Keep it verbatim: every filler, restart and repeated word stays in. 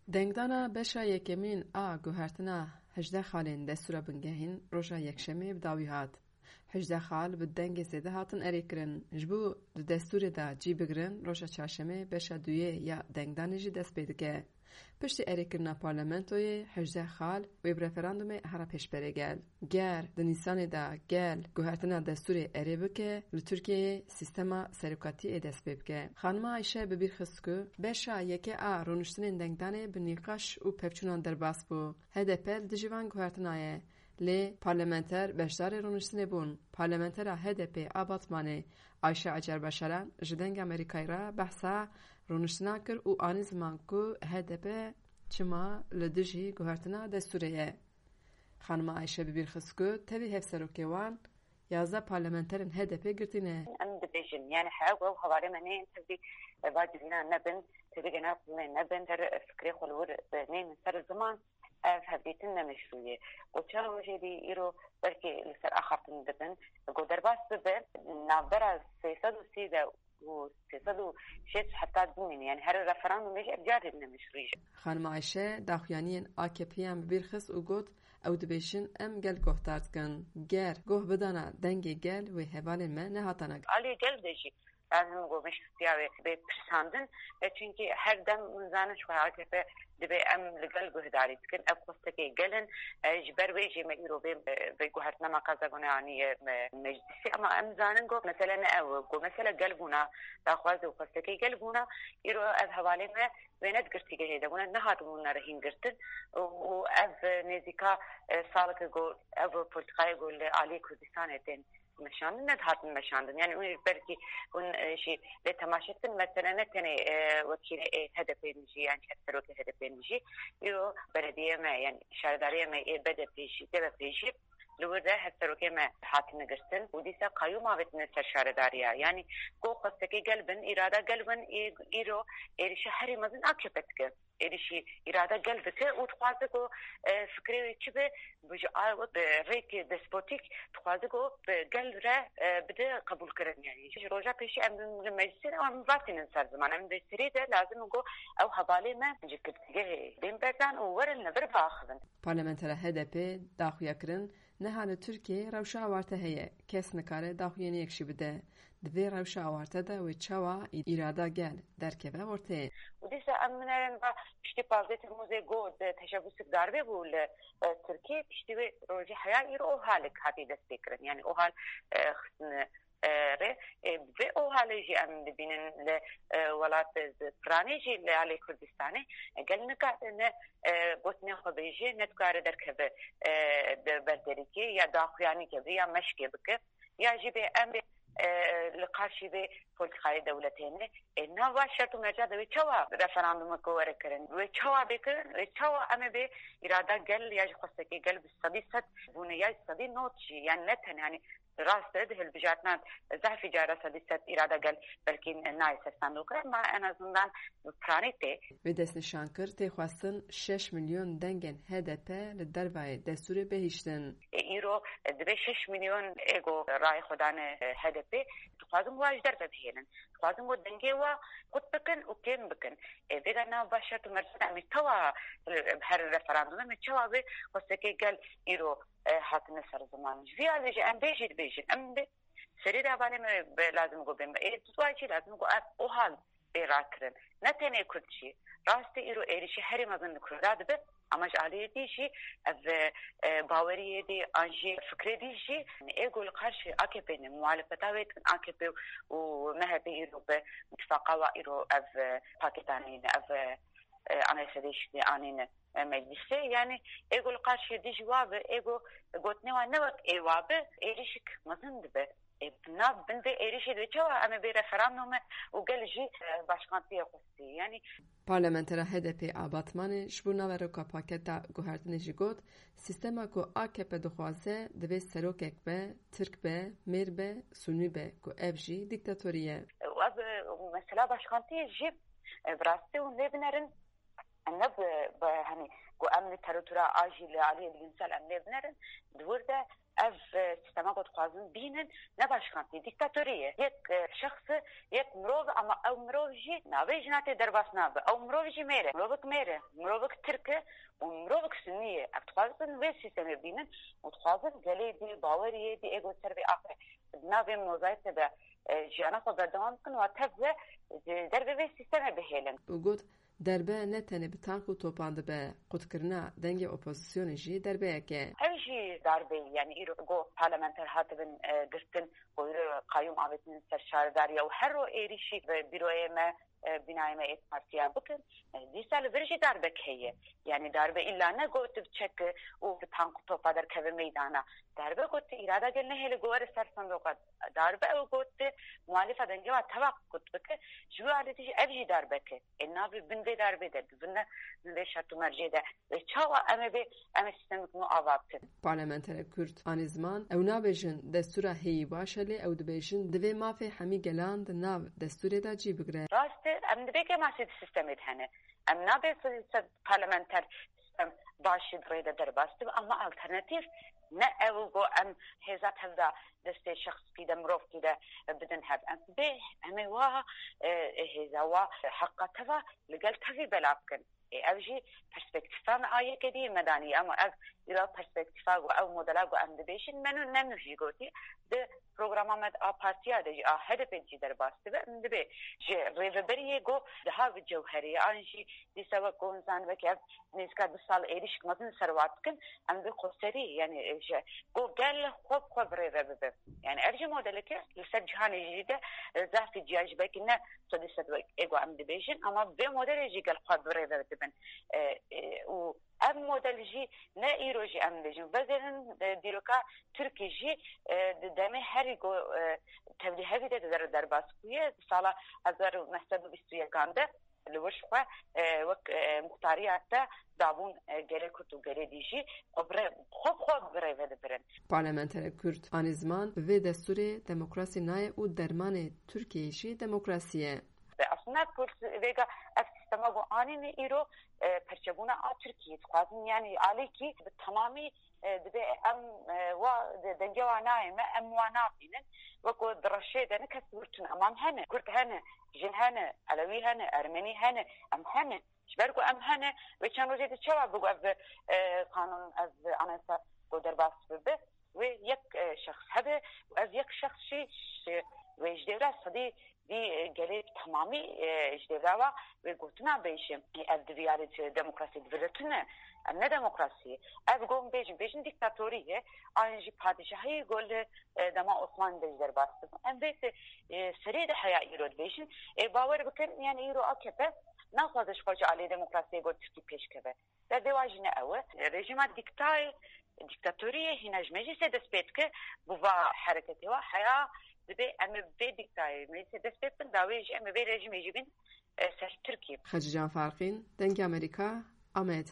Dengdana beşa yekemîn a guhertina hejdeh xalên destûra bingehîn roja Yekşemê bi dawî hat. Hejdeh xal bi dengê zêde hatin erêkirin. Ji bo di destûrê de cî bigirin, roja Çarşemê beşa duyê ya dengdanê jî dest pê dike. Piştî erêkirina parlamentoyê, hejdeh xal wê bi referandumê here pêşberê gel. Ger di Nîsanê de gel guhertina destûrê erê bike, li Tirkiyeyê sîstema serokatiyê dest pê bike. Xanima Ayşe bi bîr xist ku beşa yekê a rûniştinên dengdanê bi nîqaş û pevçûnan derbas bû. H D P li dijî van guhertina ye. Lê parlamenter beşdarê rûniştinê bûn. Parlamentera H D P a Batmanê Ayşe Acar Başaran ji Dengê Amerîkayê re behsa rûniştina kir û anî ziman ku H D P çima li dijî guhertina destûrê ye. Xanima Ayşe bi bîr xist ku tevî hevserokê wan yazdeh parlamenterên H D P girtî ne. Em dibêjin, yani he, ew hevalê me neyên tevî va civînan nebin, tevî genel qurulê nebin, her fikrê xwe li wir neynin ser ziman, ev hevdîtin ne meşrû ye. Got çend rojê dî îro belkî li ser axaftin dibin. Got derbas bibe, navbera sê sed û sî de û sê sed û şêst heta bimîne. Yani her referandumê jî ev carê ne meşrû ye. Xanima Ayşe daxuyaniyên A K P'yan bi bîr xist û got, ew dibêjin em gel guhdar dikin. Ger guh bidana dengê gel wê hevalên me nehatana. Alî gel de jî lazim got meşrûtiya wê bê pirsandin. E, çunkî her dem min zanin ji xwe A K P dibê em li gel guhdarî dikin. Ev xwestekê gel in. E, ji ber wê jî me îro vê, vê guhertina me qeza gone aniye me, meclisê. Ama em zanin got mesele ne ew, got mesele gel bûna, daxwaz û xwestekê gel bûna. Îro ev hevalê me wê ne di girtîgehê de bûne, nehatibûne rehîn girtin. Û, û ev nêzîka, e, saleke got ev polîtîkayê got li aliyê Kurdistanê tên meşandin, nedihatin meşandin. Yani hûn belkî hûn, e, jî lê temaşe dikin, mesele ne tenê, e, wekîlê, e, H D P'ê jî, yan jî serokê H D P'ê jî, îro belediyê me, yani şaredariyê me ê B D P'ê jî, D B P'ê jî li wir de hevserokê me hatine girtin û dîsa qayûm avêtine ser şaredariya. Yani ku xwestekê gel bin, îrada gel bin, î-, îro êrişa herî mezin A K P dike. Êrişî îrada gel dike û dixwaze ku, e, fikrê wê çi be, bi ji a-, bi rêkê despotîk dixwaze ku bi gel re, e, bide qebûlkirin. Yani ji roja pêşî em li meclisê de em vatînin ser ziman. Em dê serê de lazim in ku ew hevalê me ji girtîgehê bên berdan û werin li vir biaxivin. Parlamentera H D P daxuya kirin, niha li Tirkiyeyê rewşa awarte heye. Kes nikare daxuyaniyek jî bide. Di vê rewşa awarte de wê çawa î-, îrada gel derkeve ortê? Û dîsa em binerin va piştî pazdeh Temmûzê got teşebusek darbê bû li, e, Tirkiyê, piştî wê rojê heya îro OHALek hatiye destpêkirin. Yani OHAL, e, xistine, e, rê. E, vê OHALê jî em dibînin li, e, welat, e, piranê jî li alê Kurdistanê, e, gel nikarine, e, gotinê xwe bêje, nedikare derkeve, e, di berderîkê ya daxuyanî keve ya meşkê bike. Ya jî bê em bê, e, li qarşî vê polîtîkayê dewletê ne. Ê, nav va şert û merca de wê çawa referandumeke were kirin? Wê çawa bê kirin? Wê çawa em ê bê îrada gel ya jî xwestekê gel bi sedî sed bûne ya jî sedî nod jî? Yani ne tenê, yani rast e, di hilbijartinan zehfî cara sedî sed îrada gel belkî nayê ser sandokan, ma en azından bi piranî tê. Wê destnîşan kir, tê xwestin şeş milyon dengên H D P li dervayê destûrê bihiştin. E, îro, e, divê şeş milyon êgo rayê xwe dane, e, H D P, dixwazin wa ji derve bihêlin. Dixwazin ku dengê wa qut bikin û kêm bikin. E, vêga nav va şert û mercan em ê çawa, e, her referandumê me çawa bê xwestekê gel îro, e, hatine ser ziman. Ji vî alî jî em bê jî dibêjin. Em bê serê de hevalê me be lazim ku bên. Ê, dua jî lazim ku ev OHAL bê rakirin. Ne tenê Kurd jî. Rastî îro êrişî herî mezin li Kurda dibe. Ama ji aliyê dî jî ev, e, baweriyê dî an jî fikrê dî jî ê ku li qarşî A K P ne, muhalefeta wê dikin A K P û M H P îro bi tifaqa wa îro ev, e, pakêt anîne, ev, e, e, anayasa değişikliği anîne, e, meclisê. Yani ê ku li qarşî dijî wa bi, ê ku gotinê wa ne wek ê wa bi, êrişik mezin dibe. Ê, nav bin vê êrişê de çawa em ê bê referandume û gel jî, e, başkantiyê xwestî. Yani Parlamentera H D P a Batmanê ji bo naveroka paketa guhertinê jî got, sîstema ku A K P dixwaze, divê serokek be, Tirk be, Mêr be, Sunî be, ku ev jî dîktatorî ye. Ev, e, mesela başkantiyê jî, e, bi rastî hûn lê binerin, ne bi, bi, hani, ku em lîteratûra a jî li aliyê bilimsel em lê binerin, di wir de Ev, e, sîstema ku dixwazin bînin, ne başkantî, dîktatorî ye. Yek, e, şexs e, yek mirov, ama ew mirov jî navê jina tê derbas nabe. Ew mirov jî mêr e. Mirovek mêr e. Mirovek tirk e û mirovek sunî ye. Ev dixwazin vê sîstemê bînin û dixwazin gelê dî, baweriyê dî ê ku ser vê axe di nav vê mozayîkê de, e, jiyana xwe berdewam bikin û tev ve ji dervê vê sîstemê bihêlin. Û got, derbe ne tenê bi tank û topan dibe, qutkirina dengê opozisyonê jî derbeyek e. Ev jî darbe ye, yanî îro go parlamenter hatibin, e, girtin, go îro qayûm avêtin ser şaredariya û her ro êrîşî bi bîroyê me, e, bînayê me ê partiya bikin, e, dîsa li vir jî darbek heye. Yanî darbe îlla ne got bi çek û bi tank û topa derkeve meydana. Darbe got îrada gel nehêle go were ser sindoqa. Darbe ew got muhalîfa dengê wa teva qut bike. Ji wî alî jî ev jî darbek e. Ê navê bin vê darbê de, di bin, bin vê şert û mercê de. Wê çawa em ê vê, em ê sîstemik nû ava bikin? Parlamenterê Kurd anî ziman, ew nabêjin destûra hêyî baş e, lê ew dibêjin divê mafê hemî gelan di nav destûrê de cî bigire. Rast e, em dibê kêmasî di sîstemê de hene. Em nabê sed sed parlamenter sîstem başî di rê de derbas dibe, ama alternatîf ne ew go em hêza tev de destê şexskî de, mirovkî de bidin hev. Em dibê em ê wa, e, hêza wa, heqa teva li gel tevî bela bikin. Ê, ev jî perspektîfa me a yekê dî me danî, ama ev îro perspektîfa ku ew modela ku em dibêjin, me nû ne nû jî gotî, di programa me a partiya de jî, a H D P de jî derbas dibe, em dibê ji rêveberiyê ku daha bi cewherê ye, an jî dîsa wek ku hûn zanibekî ev nêzîka du sal êrîşik mezin li ser wan dikin, em bi xweserî, yanî, e, ji ku gel xwe bi xwe bi rê ve bibe. Yanî ev jî modeleke li ser cîhanê jî de, e, zafî ciya ji belkî ne sedî sed wek ê ku em dibêjin, ama vê modelê jî gel xwe bi rê ve dibin. E, e, û ev model jî ne îro jî em dibêjin. Vezêrin, e, dîroka Tirkî jî, e, di demê herî ku, e, tevlî hevî de di der-, derbas bûye, di sala hezar û neh sed û bîst û yekan de li wir xwe, e, wek, e, muxtariyat de dabûn, e, gelê Kurd û gelê dî jî xwe bi rê-, xwe bi xwe bi rê ve dibirin. Parlamenterê Kurd anî ziman, bi vê destûrê demokrasî nayê û dermanê Tirkiyeyê jî demokrasî ye. Ve aslında Kurd vêga ev sîstema ku anîne îro, e, perçebûna a Tirkiyeyê dixwazin, yanî alîkî bi temamî, e, dibê em, e, wa de-, dengê wa nayê me, em wa nabînin. Wek ku di reşê de ne kes wir tune, ama em hene, Kurd hene, jin hene, Elewî hene, Ermenî hene, em hene. Ji ber ku em hene, wê çend rojê di çawa bigo ev, e, qanûn, ev anayasa ku derbas bibe, wê yek, e, şexs hebe û ev yek şexs jî, jî wê ji dêvra sedî vî, e, gelê bi temamî, e, ji dêvra wa wê gotina bêje, e, ev di vî alî de demokrasî di vir de tune. Em ne demokrasî ye. Ev gon bêjin, bêjin dîktatorî ye. An jî padîşahî go li, e, dema Osmanî de jî derbas dibû. Em vê, e, serê de heya îro dibêjin. E, bawer bikin, yanî îro A K P naxwaze ji xwe ji alî demokrasiyê go Tirkî pêş keve. Derdê wa jî ne ew e. Rejîma dîktayê, dîktatoriyê hîna ji meclîsê dest pê dike, bi va hereketê wa heya dibê em ê vê dîktayê meclîsê dest pê bikin, dawê jî em ê vê rejîmê jî bin, e, ser Tirkiyê. Xecîcan Farqîn, Dengê Amerîka, Amed.